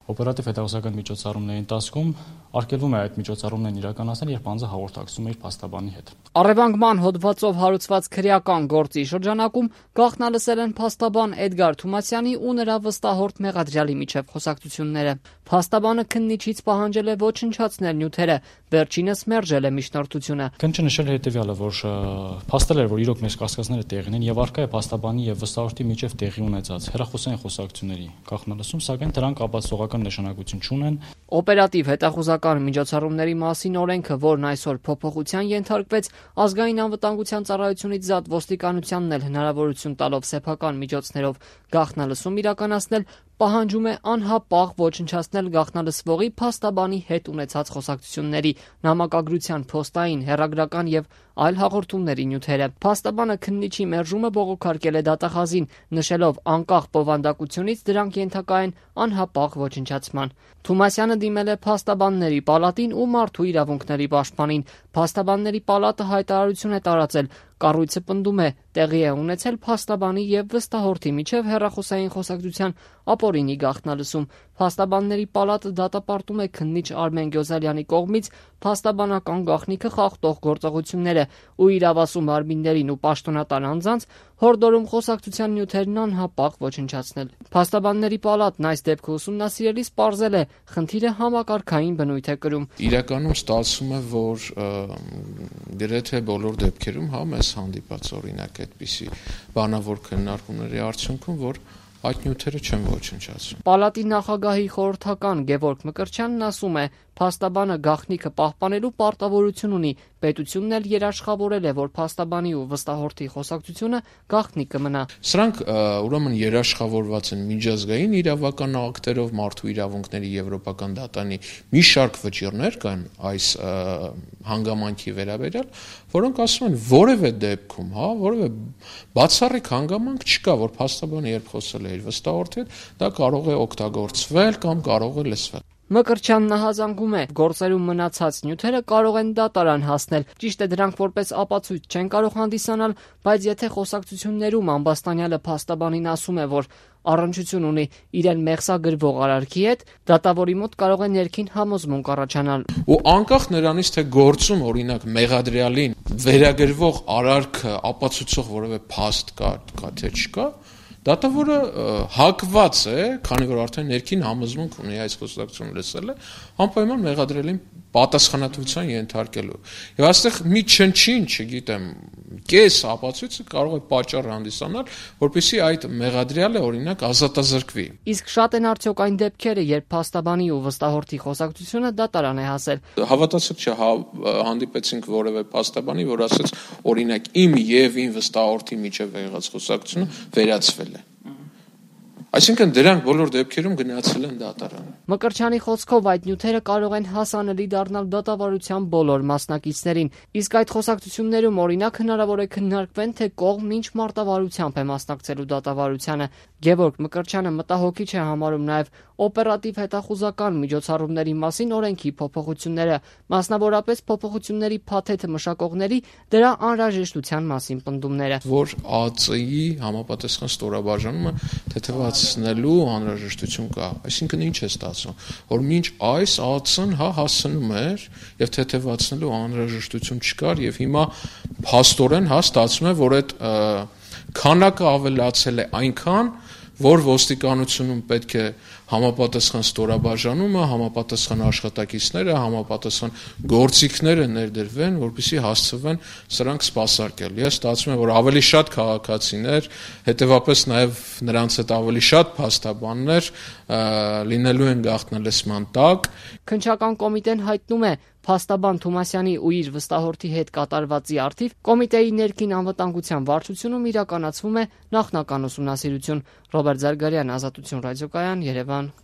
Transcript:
Օպերատիվ հետազոտական միջոցառումների ընթացքում արգելվում է այդ միջոցառումներն իրականացնել, երբ անձը հաղորդակցում է իր փաստաբանի հետ։ Առևանգման հոդվածով հարուցված քրեական գործի շրջանակում գաղտնալսել են փաստաբան Էդգար Թումասյանի ու նրա վստահորդ Մեղադրյալի միջև խոսակցությունները։ Փաստաբանը քննիչից պահանջել է ոչնչացնել նյութերը, վերջինս մերժել է միջնորդությունը։ Քննիչը նշել է հետևյալը, որ փաստել էր, որ իրոք մեր կասկածները տեղին են եւ առկա է փաստաբանի եւ վստահորդի միջև տեղի ունեցած հեռախոսային խոսակցությունների գաղտնալսում, սակայն դրանք ապացուցողական նշանակություն չունեն։ Օպերատիվ հետախուզական միջոցառումների մասին օրենքը, որն այսօր փոփոխության ենթարկվեց, ազգային անվտանգության ծառայությունից զատ ոստիկանությանն էլ հնարավորություն տալով սեփական միջոցներով գաղտնալսում իրականացնել, պահանջում է անհապաղ ոչնչացնել գաղտնալսվողի փաստաբանի հետ ունեցած խոսակցությունների, նամակագրության, փոստային, հեռագրական եւ այլ հաղորդումների նյութերը։ Փաստաբանը քննիչի մերժումը բողոքարկել է դատախազին, նշելով անկախ բովանդակությունից դրանք ենթակա են անհապաղ ոչնչացման։ Թումասյանը դիմել է փաստաբանների պալատին ու մարդու իրավունքների պաշտպանին։ Փաստաբանների պալատը հայտարարություն է տարածել։ Կառույցը պնդում է, տեղի է ունեցել փաստաբանի եւ վստահորդի միջև հեռախոսային խոսակցության ապօրինի գաղտնալսում։ Փաստաբանների պալատը դատապարտում է քննիչ Արմեն Գյոզալյանի կողմից փաստաբանական գաղտնիքը խախտող գործողությունները ու իրավասու մարմիններին ու պաշտոնատար անձանց հորդորում խոսակցության նյութերն անհապաղ ոչնչացնել։ Փաստաբանների պալատն այս դեպքը ուսումնասիրելիս պարզել է, խնդիրը համակարգային բնույթ է կրում։ Իրականում ստացվում է, որ գրեթե բոլոր դեպքերում մեզ հանդիպած օրինակ այդպիսի բանավոր քննարկումների արդյունքում, որ այդ նյութերը չեն ոչնչացում։ Պալատի նախագահի խորհրդական Գևորգ Մկրտչյանն ասում է, փաստաբանը գաղտնիքը պահպանելու պարտավորություն ունի, պետությունն էլ երաշխավորել է, որ փաստաբանի ու վստահորդի խոսակցությունը գաղտնի կմնա։ Սրանք ուրեմն երաշխավորված են միջազգային իրավական ակտերով, մարդու իրավունքների եվրոպական դատարանի մի շարք վճիռներ կան այս հանգամանքի վերաբերյալ, որոնք ասում են, որևէ դեպքում, որևէ բացառիկ հանգամանք չկա, որ փաստաբանը երբ խոսել է իր վստահորդի հետ, դա կարող է օգտագործվել կամ կարող է լսվել։ Մկրտչյանն նահանձանգում է, գործերում մնացած նյութերը կարող են դատարան հասնել։ Ճիշտ է, դրանք որպես ապացույց չեն կարող հանդիսանալ, բայց եթե խոսակցություններում ամբաստանյալը փաստաբանին ասում է, որ առնչություն ունի իրեն մեղսագրվող արարքի հետ, դատավորի մոտ կարող է ներքին համոզմունք առաջանալ։ Ու անկախ նրանից, թե գործում օրինակ մեղադրյալին վերագրվող արարքը ապացուցող որևէ փաստ կա թե չկա, դատավորը հակված է, քանի որ արդեն ներքին համոզմունք ունի այս խոսակցությունը լսել է, անպայման մեղադրելին պատասխանատվության ենթարկելու։ Եվ այստեղ մի չնչին, չգիտեմ, կես ապացույցը կարող է պատճառ հանդիսանալ, որպեսզի այդ մեղադրյալը օրինակ ազատազրկվի։ Իսկ շատ են արդյոք այն դեպքերը, երբ փաստաբանի ու վստահորդի խոսակցությունը դատարան է հասել։ Հավատացեք չէ, հանդիպեցինք որևէ փաստաբանի, որ ասաց, օրինակ իմ եւ իմ վստահորդի միջև եղած խոսակցությունը վերացվել է։ Այսինքն դրանք բոլոր դեպքերում գնացել են դատարան։ Մկրտչյանի խոսքով այդ նյութերը կարող են հասանելի դառնալ դատավարության բոլոր մասնակիցներին, իսկ այդ խոսակցություններում օրինակ հնարավոր է քննարկվեն, թե կողմ ինչ մարտավարությամբ է մասնակցելու դատավարությանը։ Գևորգ Մկրտչյանը մտահոգիչ է համարում նաև օպերատիվ հետախուզական միջոցառումների մասին օրենքի փոփոխությունները, մասնավորապես փոփոխությունների փաթեթը մշակողների դրա անհրաժեշտության մասին պնդումները, որ ԱԾ-ի համապատասխան ստորաբաժանումը թեթևացնելու անհրաժեշտություն կա։ Այսինքն ինչ է ստացվում, որ մինչ այս ԱԾ-ն հասնում էր եւ թեթևացնելու անհրաժեշտություն չկար եւ հիմա փաստորեն ստացվում է, որ այդ քանակը ավելացել է այնքան, որ ոստիկանությունում պետք է համապատասխան ստորաբաժանումը, համապատասխան աշխատակիցները, համապատասխան գործիքները ներդրվեն, որպեսզի հասցվեն սրանք սպասարկել։ Ես ստացվում է, որ ավելի շատ քաղաքացիներ, հետևաբար նաև նրանց հետ ավելի շատ փաստաբաններ լինելու են գաղտնալսման տակ։ Քննչական կոմիտեն հայտնում է, փաստաբան Թումասյանի ու իր վստահորդի հետ կատարվածի առթիվ կոմիտեի ներքին անվտանգության վարչությունում իրականացվում է նախնական ուսումնասիրություն։ Ռոբերտ Զարգարյան, Ազատություն ռադիոկայան, Երևան։